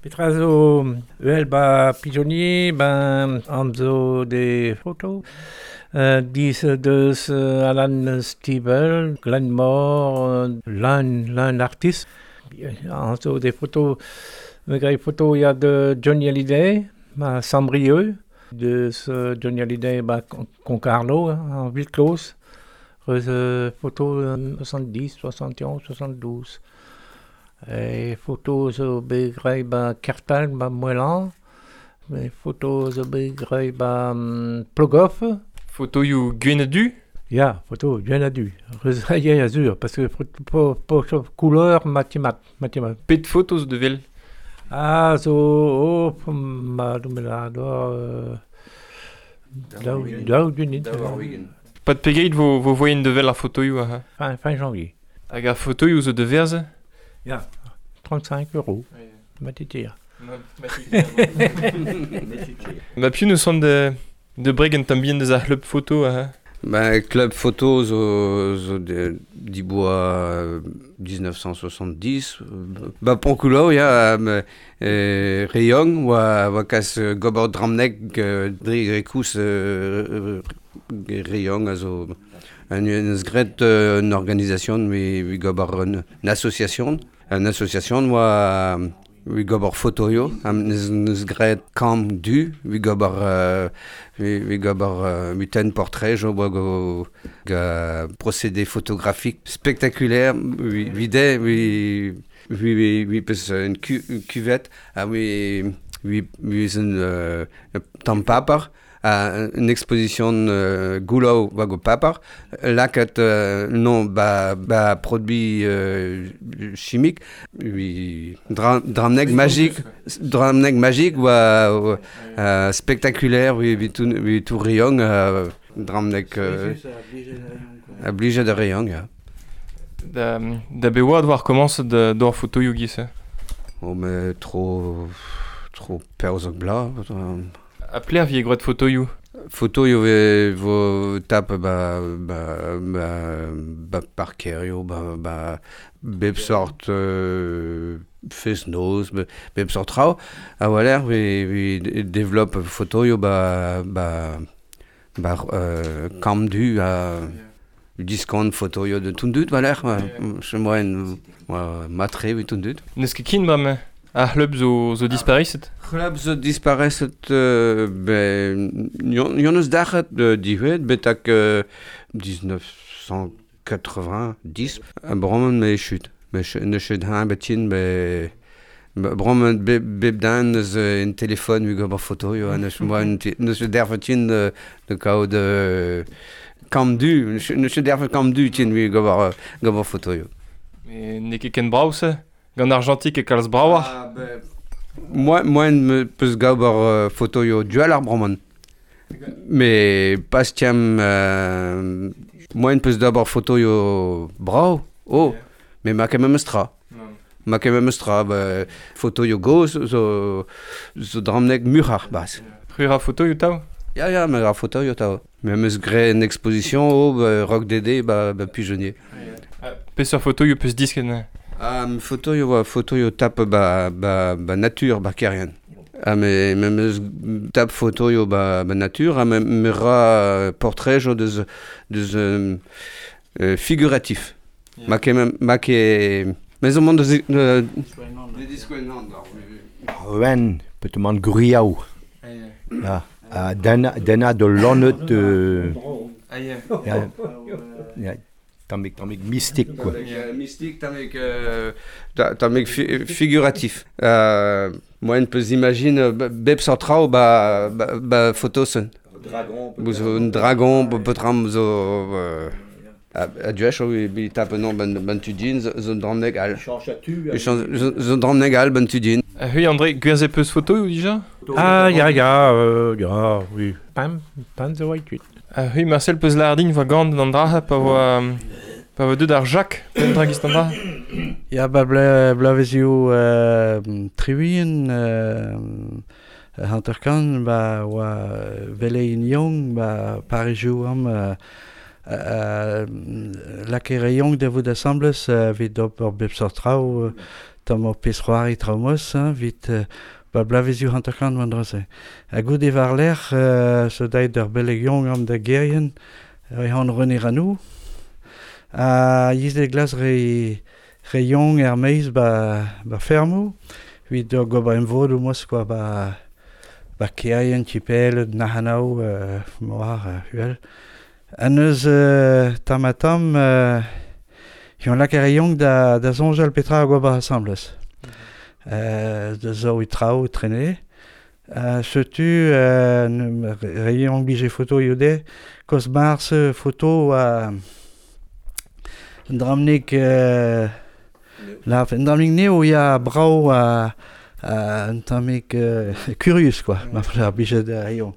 Petra zo uhel ba Pigeonnier, ben an zo des photos. Dis deus Alan Stivell, Glenn Moore, l'un artiste. An zo des photos, me grai photo ya de Johnny Hallyday, ba Saint-Brieuc, deus Johnny Hallyday ba Concarneau, en ville close. Reus photo 70, 71, 72. E foto zo bet graet ba Kertal, ba Moelan. E foto zo bet graet ba Plogoff. Fotoioù gwenn ha du? Ya, foto gwenn ha du. Reus ya, ya, sur, parce que po, po, couleur matimat, matimat. Pet foto zo da wel? Ah, zo, oh, ma, ma, daou, daou gunit. Pad pegeit vo, vo voien da wel ar fotoioù aze? Fin, fin janvier. Hag ar fotoioù zo da verze? Ya, 35 euros. Matitir. Ma piv neus c'hoant da, da breg un tamm bihan deus ar c'hlub foto aze? Ben, club photo zo, zo de, diboa 1970. Ba Poncoulou, ya, re young, oa, oa kas gober dramnek dre rekous re young a zo un eus graet un organisation wi, wi gober un, une association. Un association oa wi gober fotoio, am neus, neus graet kamp du, wi gober wi, wi gober wi ten portrait jo oa go ga procédé photographique spectaculaire wi wi de wi wi wi, wi peus un, cu, une cuvette ha wi wi wi eus un tamm paper ha une exposition goulaou war go paper lakaat non ba, ba produit chimique wi dra, dramnek magique dramnek magique oa spectaculaire wi wi tout wi tout riong dramnek a blije da riong ya. Da, da be oad war komañset da d'ober fotoioù giz-se? Oh mais trop trop perzhok bla. Ha pelec'h vije gwraet fotoioù? Fotoioù ve vo tap ba ba ba ba parkerioù, ba ba bep sort fest-noz, bep sort traoù. A-walc'h vi vi développe fotoioù ba ba ba kamp du ha diskant fotoioù de tout dud war-lerc'h. Moaien matre evit tout dud. N'eus ket kin bremañ? Ar c'hlub zo, zo dispariset? C'hlub zo dispariset ben, yon eus dac'het dihuet betak 1990. Bremañ me chut. Me ne chut hañ betin be bremañ bep, bep dan eus un téléphone wi gober fotoioù ha neus moa neus dervetin de kaout kamp du neus dervet kamp du tin wi gober gober fotoioù. Mais n'eo ket ken brav-se? Gant argentik e kalz bravoc'h? Ah, ben, moi, moi me peus gober fotoioù dual ar bremañ. Mais pas tiam moi peus d'ober fotoioù brav, oh, mais ma ket memes tra. Ma ket memes tra, ba, fotoioù gozh zo, zo dramnek muc'har bas. C'hwi ra fotoioù tav? Ya, ya, me ra fotoioù tav. Me am eus graet une exposition oh, ba, Rock Dédé ba, ba Pigeonnier. Peseurt fotoioù peus disket neuze? Ah, fotoioù oa fotoioù tap ba, ba, ba nature ba Kerien. Ha me, me meus tap fotoioù ba, ba nature ha me, me ra portrejoù deus, deus figuratif. Yeah. Ma ket, ma ket, me zo mont deus Wen, petomant gwriaou. Ya, ha den, denna de lannet ya, ya, tammig, tammig mystique quoi. Tammig mystique, tammig tammig fi, figuratif. Moaien peus imagine bep sort traoù ba, ba, ba fotosen. Dragon. Zo un dragon, peotram zo a duech bi tap non ben ben tudin zo dramnek all. Zo dramnek all ben tudin. Hui André, gwerzhet peus fotoioù dija? Ah, ya, ya, ya, oui. Pam, pam zo oa kuit. Hui Marcel peus lardin voa gant an dra pa voa pa voa deut ar Jacques pen dra gist an dra. Ya, ba ble, blavezioù triwien hanterkant ba oa velein young ba Parizioù am lakere young da vout assembles evit ober bep sort traoù tamm ur pezh c'hoari traoù-mos, hein, 'vit ba blavezioù 50 oan dra-se. Ha goude war-lerc'h so daet ur beleg young am da Gerien, rehan René Ranou. Ha yiz de glas re young er meiz ba fermo, 'vit ur gober emvodoù mos quoi ba Kerien, Tipel, Nahanao, moar, huel. An eus tamm ha tamm, yon lak ar young da soñjal petra a gober asambles. Da zo e traoù trene. Setu re young bije foto iode, koz mars foto a un dramnik la un dramnik neo ya brao a un tammig curius quoi, ma frère bije da young.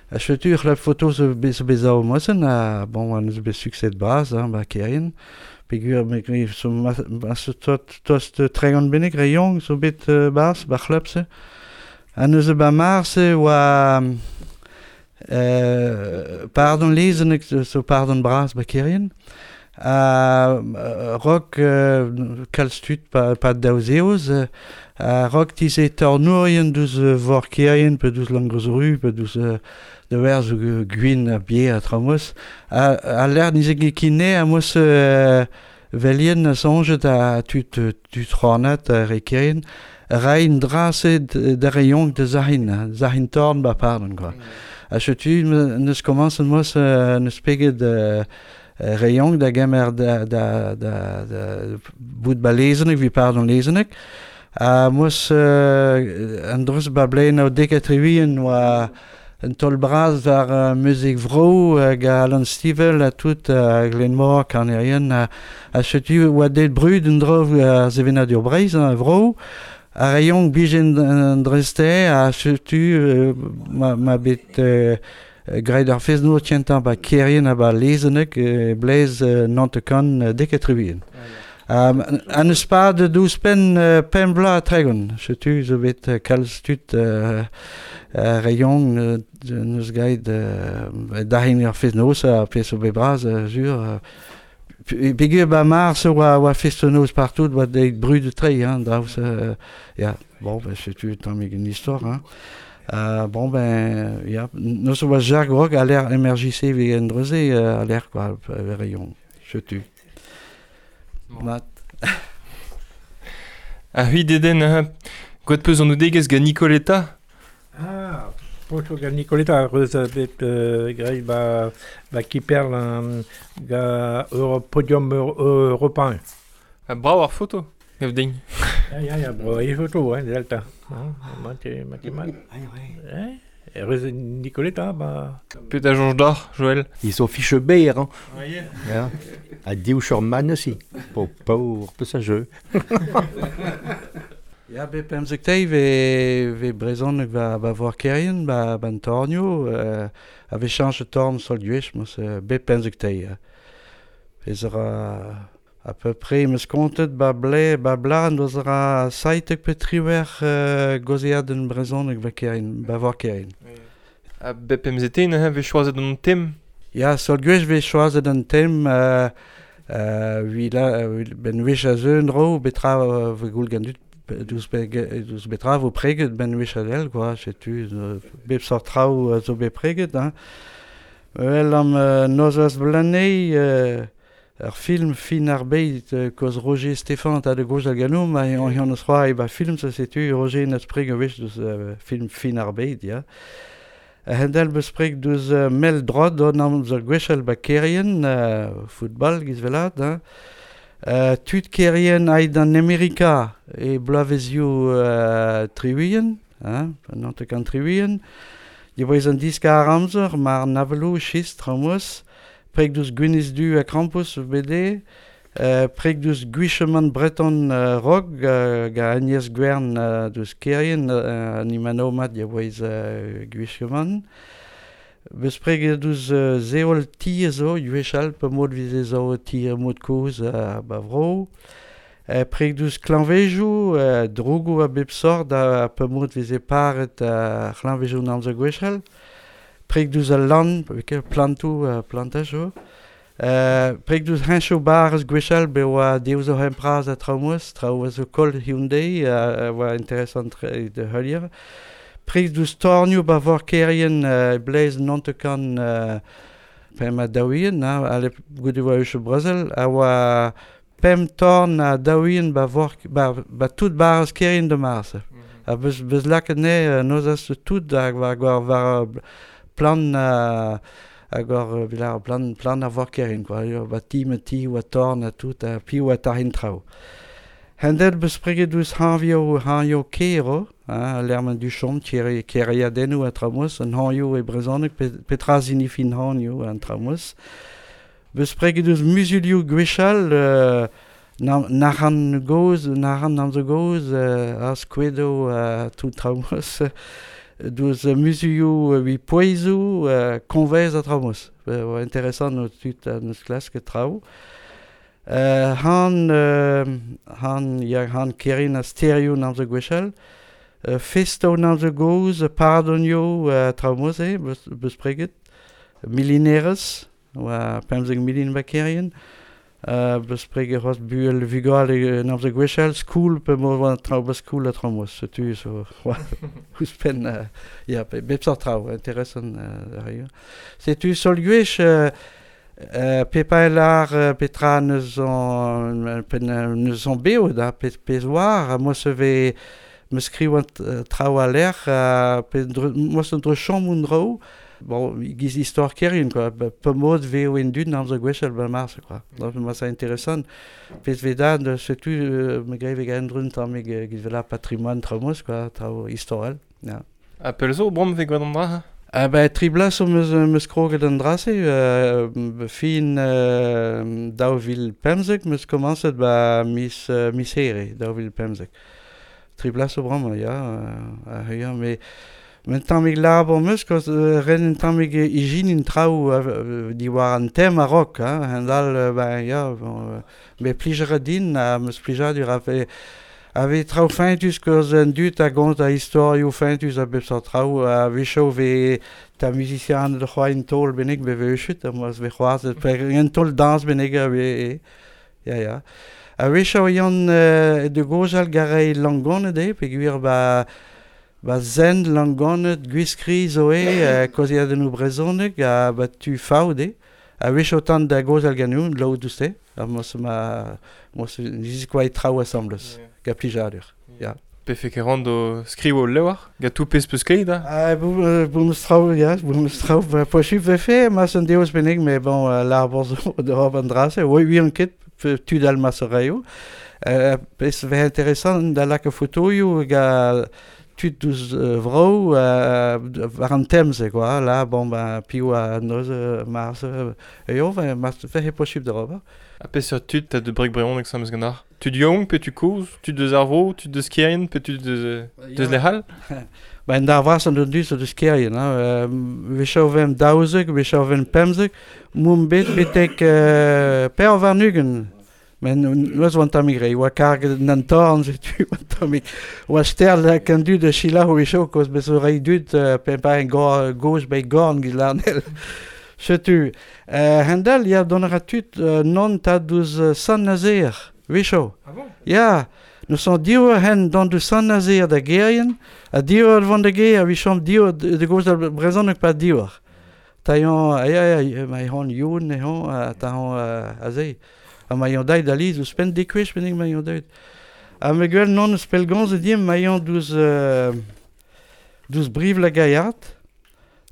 A setu la foto zo bezao mosen a bon an eus bet succès bras hein, ba Kerien. Pegur me so ma tost 30 bennek re young zo bet bas ba c'hlub-se. An eus ba mars oa pardon lezenek zo pardon bras ba Kerien. Rock kalz tud pa daouzeoz rock tize tornourien deus vor Kerien pe deus Langreuzru pe deus de werz gwin a bier a traoù-mos. A l'air nize kine a mos velien a soñjet a tud c'hornat a re Kerien rein drase da re young da zahin torn ba pardon quoi. A setu neus komañset mos neus peget re young da gemer da bout ba lezenek vi pardon lezenek. A mos an dreus ba blein o dek a trivien oa un tol bras war muzik vro hag Alan Stivell a tout Glenmor, Karnerien a setu oa det brud un drov a sevenadur Breizh a vro a re young bijen an dreste a setu ma bet graet ar fez-noz tientañ ba Kerien ha ba Lezenek blez Nantekan dek a trivien. An eus pad douzh-penn pemp bloaz ha 30, setu zo bet kalz tud re young neus gaet dahin ar fez-noz a pezh zo bet bras sur. Peogwir ba mars oa fest-noz partout oa deit brud tre hein, draoù ya, bon ben setu tammig un istor hein. Bon ben ya, neus oa Jacques Roch a l'air MRJC vi en dreze a l'air quoi re young, setu. Mat. A hui deden, gwad peus an oudegez gant Nicoletta? Ah, foto gant Nicoletta reus bet graet ba Kiperl ga podium european. Ha brav ar foto, gav din. Ya, bravo e foto, hein, delta. Mat mat. Reus Nicoletta, ba... Pet a soñj d'ar, Joël? Ils sont fiche ber, hein. Ja. A div man aussi. Pauvre passager. Ya, bet pemzek teiz ve brezhoneg ba vor Kerien, ba an tornio, a ve chañch torn sol gwech, mos bet pemzek teiz. Pezh ra à peu près meus kontet ba ble, ba blan doz ra saitek pe triwer gozead en brezhoneg ba Kerien, ba vor Kerien. A bep MZT neuze vez choazet an tem? Ya, sol gwech vez choazet an tem ben wech a zeun dro betra ve goul gant dud deus betra vo preget ben wech a del, quoi, setu bep sort traoù zo bet preget, hein. Wel am nozaz blanei ur film fin ar beit koz Roger Stéphan ta de gozh al ganoum ha an eus c'hoari ba film sa setu Roger n'eus preg a wech deus film fin ar beit, ya. Hendel beus preg deus mel drod on am zo gwechel ba Kerien, football giz velat, hein. Tud Kerien aet an Amerika e bloavezioù triwien, hein, nantekan triwien. Diboez an diskar amzer, mar navelou, schist, traoù-mos. Preg deus Gwyneth Du a Krampus BD, preg deus Gwicheman Breton Rog, ga Agnès Gwern deus Kerien, an imano mat diboez Gwicheman. Beus preg deus zeol ti zo, gwechall, pe mod vize zo ti mod kozh ba vro. Preg deus klañvejoù, drogoù a bep sort a pe mod vize paret klañvejoù n'amzer gwechall. Preg deus al lan, plantoù, plantajoù. Preg deus hencho barez gwechall be oa deus o hempraz a traoù traoù a zo kol Hyundai a oa interesant de heulier. Preg deus tornioù ba vor kerien bleiz nontekan pem a daouien, ale goude oa eus Brezel, a oa pem torn a daouien ba vor ba tout barez kerien de mars. A beus laket ne nozas tout hag war plan hag war vilar plan a vor kerin quoi, ba ti me ti oa torn a tout a pi oa tarin traoù. Hendel beus preget deus hanvio kero, hein, lermen du chom, keriadennoù a traoù, an hanvio e brezhoneg, petra signifie hanvio an traoù. Beus preget deus muzulioù gwechall, naran goz, naran an zo goz, a skwedo tout traoù. Deus muzulioù wi poezoù, konvez a traoù. Interesant no tud neus klask traoù. Han kerin a sterioù n'am zo gwechall, festo n'am zo goz, pardonioù traoù beus preget, milinerez, oa 15 milin ba kerien, beus preget c'hoazh buel vugale n'am zo gwechall, skoul pe mo oa traoù ba skoul a traoù, setu zo ouzhpenn ya bep sort traoù, interesant ar. Setu sol gwech Pepa petra neus an beo da pez war, mo se ve me skriwant traoù a l'air, mo se dre chom un dro, bon, giz istor kerien, quoi, pe mod veo en dud n'am zo gwechall ba mars, quoi. Donc, moi, c'est intéressant. Pez veda, setu, me greve gaen drun tamm giz vela patrimoine traoù, quoi, traoù istorel, ya. A pel zo, brom ve gant an dra? Ah ben, tri blas o meus kroget an drase, fin daou vil pemzek, meus komañset ba mis here, daou vil pemzek. Tri blas o bram, ya, ya, me men tammig labour meus, koz ren un tammig ijin traoù diwar an tem a rock, hein, hendal, ben, ya, bon, me plijer a din, ha meus plijadur a fe... Ave traoù fentus koz an dud a gont a istorioù fentus a bep sort traoù, a wechoù ve ta musician de c'hoa un taol bennek be ve uchut, a moaz ve c'hoaz, un taol dans bennek a ve, ya ya. A wechoù yan de gozal garei langonet e, pe gwir ba zen langonet gwiskri zo e, koziadennoù brezhoneg, a ba tu faout e. A wechoù tant da gozal ganou, laout douste, a moaz ma, moaz niz kwa e traoù asambles. Ga plijadur, ya. Pefe ket do skrivo lewar, ga tout pez peus kleit, da? Ah, boum traoù, ya, boum traoù, posub vefe, mas an deus bennek, mais bon, l'arbour zo de hor an drase, oi, ui an ket, tud al mas reio. Pez ve intéressant da lak a fotoioù ga tud deus vrou war an temze, quoi, là, bon, ben, piou a noz, mars, eo, mas vefe posub da ober. A peseurt tud ta de brek breon hag samez ganar? Tud young pe tu koz, tud deus ar vro, tud deus kerien, pe tud deus lehal? Ben dar vras an deus deus kerien, hein. Wechoù vem daouzek, wechoù vem pemzek, mum bet betek per war nugen. Men noz oan tammig rei, oa karget an torn, setu, oan tammig. Oa sterl kan dud a sila wechoù koz bez o rei dud pe pa en goz bei gorn giz larnel. Setu, hendel, ya don a tud non ta deus Saint-Nazaire, wechoù. Ah bon? Ya, nous son div hen don deus Saint-Nazaire da gerien, a div vont da ger, a wichom div de goz al brezhoneg pa div. Ta yon, ya, ya, ma hon youn, e hon, ta hon aze. A ma yon daid aliz, ouzhpenn dekwech bennek ma yon daid. A me gwell non eus pelgonz e dim, ma yon deus briv la gaillard.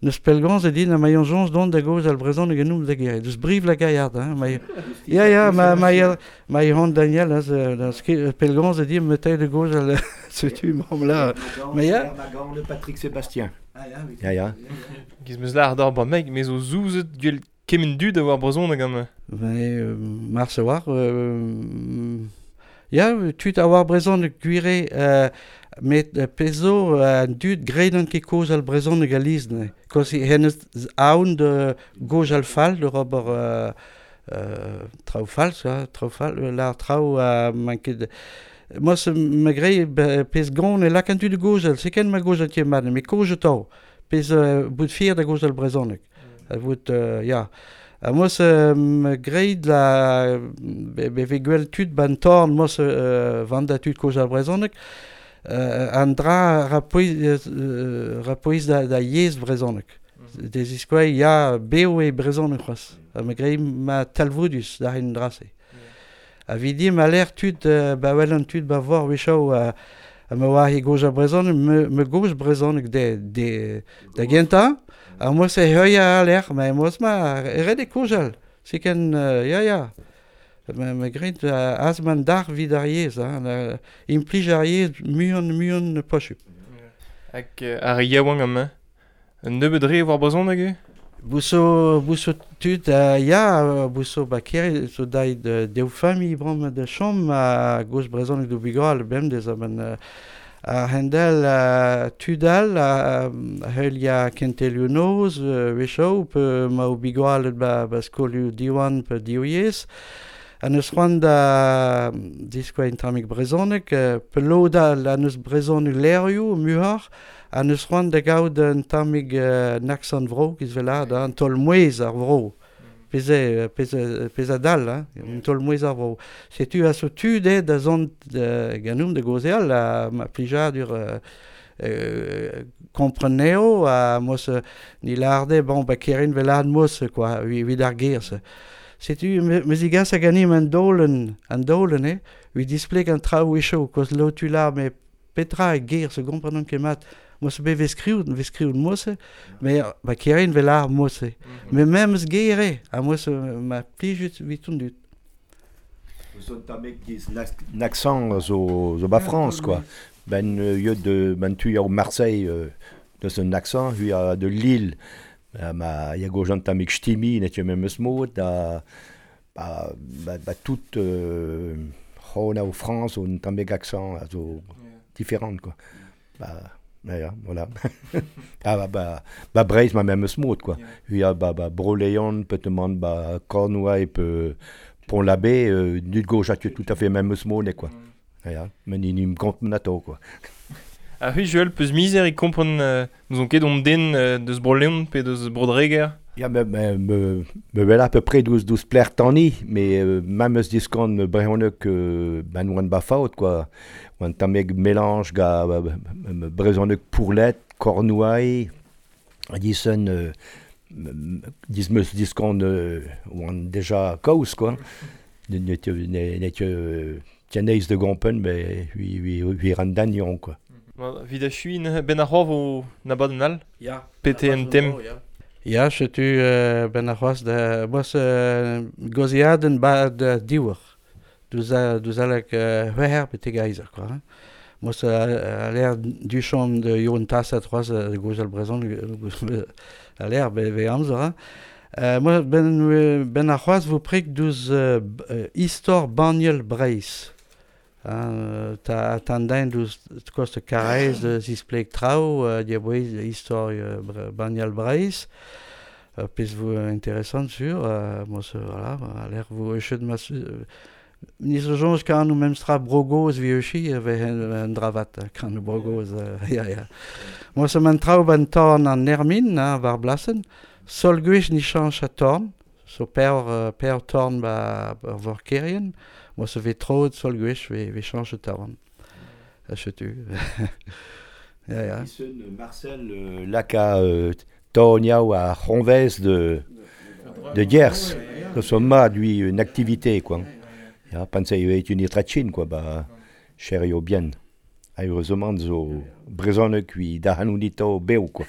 Neus pelgonz e din a ma yon jonz don da goz al brezhoneg genoum da ger. Deus briv la gaillard, hein. Ma ya ya, ma yon Daniel, hein, pelgonz e dim me teil de goz al setu mam la. Ma ya. Le Patrick Sébastien. Ah ya, ya ya. Giz meus lar d'ar ba meg, me zo zouzet gwell kemen dud a war brezhoneg gant. Ben, mars a war, ya, tud a war brezhoneg gwire, met pezo an dud gredan ket koz al brezhoneg a lizne. Koz hennez aoun de goz al fall, de ober traoù fall, traoù fall, lar traoù man ket... Moi, me grei pez gant e lak an dud de goz al, se ken ma goz al tie mat, me koz tao, pez bout fier da goz al brezhoneg. Bout, ya. A mos greit la be gwell tud ban torn mos vanda tud koz ar brezhoneg an dra rapoiz da yezh brezhoneg. Des iskoa ya beo e brezhoneg c'hoazh. Ha me greit ma talvoudus da hin drase. A vidi ma l'air tud ba wel an tud ba vor wechoù a ma oa he goz ar brezhoneg me goz brezhoneg de da gentañ. A mos e heuia a l'air, ma mos ma ret e kozal. Se ken, ya. Me greit az man dar vid ar yezh, hein, implij ar yezh muion posub. Hag ar yaouank amañ, un nebeud re war brezhoneg eo? Bouso tud, ya, bouso ba kere, zo dait dev familh bram da chom a goz brezhoneg do bugal bemdez a a hendel tudal a heulia kentelioù noz wechoù pe ma o bigoalet ba skolioù Diwan pe Dioyez an eus c'hoant da diskoa un tammig brezhoneg pe lodal an eus brezhoneg lerioù muioc'h an eus c'hoant da gaout un tammig an vro giz velad an taol mouezh ar vro. Pezh a dal, hein, un taol mouezh ar vro. Setu a so tud eo da zont ganeomp da gaozeal a ma plijadur kompren eo a mos ni larde bon ba kerin velad mos quoi evit ar ger. Setu me zigas a ganim an dolen eh vid displeg an traoù wechoù koz lo tu la me petra e ger se komprenon ket mat. Mos be vez skriout mose, me ba kerin vel ar mose. Me memes gere, a mos ma plijut vit on dut. Zo tamek diz n'accent zo ba France quoi. Ben yod de ben tu ya au Marseille deus un accent hu ya de Lille. Ma ya go jant tamek chtimi net memes mod da ba tout c'hona au France un tamek accent zo différent quoi. Ba ja, voilà. Ah, ba Breizh ma memes mod quoi. Ya ba Bro-Leon peut-être ba Cornouailles pe Pont-l'Abbé nut gauche a tout à fait memes mod quoi. Ja, men in kont nato quoi. A hu Joël peus mizer e kompren nous on ket on den deus Bro-Leon pe deus Bro-Dreger. Ja, me wel à peu près 12 pler tani, mais memes diskont me brezhoneg ben oan ba faot quoi. Oan tammeg mélange ga brezhoneg pourlet, Cornouailles, disen dis meus diskont oan déjà kaoz quoi. Net tieneiz de gompen, mais hui ran quoi. Vid a chuin ben ar c'hoar vo nabadenn all? Ya. Pete en tem. Ya, setu ben ar c'hoaz da boas goziadenn ba da diwer. Douz alek c'hwec'her betek aizer, quoi. Hein. Mos a l'air du chom de Youn Tassat c'hoaz goz al brezhon a l'air be amzer, hein. Moi ben ar c'hoaz vo prek douz istor Baniel Breizh. Ta den douz kost Karaez de zispleg traoù diabouez istor Baniel Breizh. Pezh vo intéressant sur mos voilà a l'air vo echet mas ni zo soñj kan nou memstra brogoz vi euchi ve un dravat kan nou brogoz ya. Mos man traoù ban torn an Nermin hein, war blasen sol gwech ni chanch a torn so per torn ba vor kerien mos ve trod sol gwech ve chanch a torn. Setu. Ya. Marcel laka torniao a c'honvez de Diers. So ma lui une activité quoi. Ya pensei eo une trachin quoi ba cherio bien. Heureusement zo brezhoneg ui da hanunito beo quoi.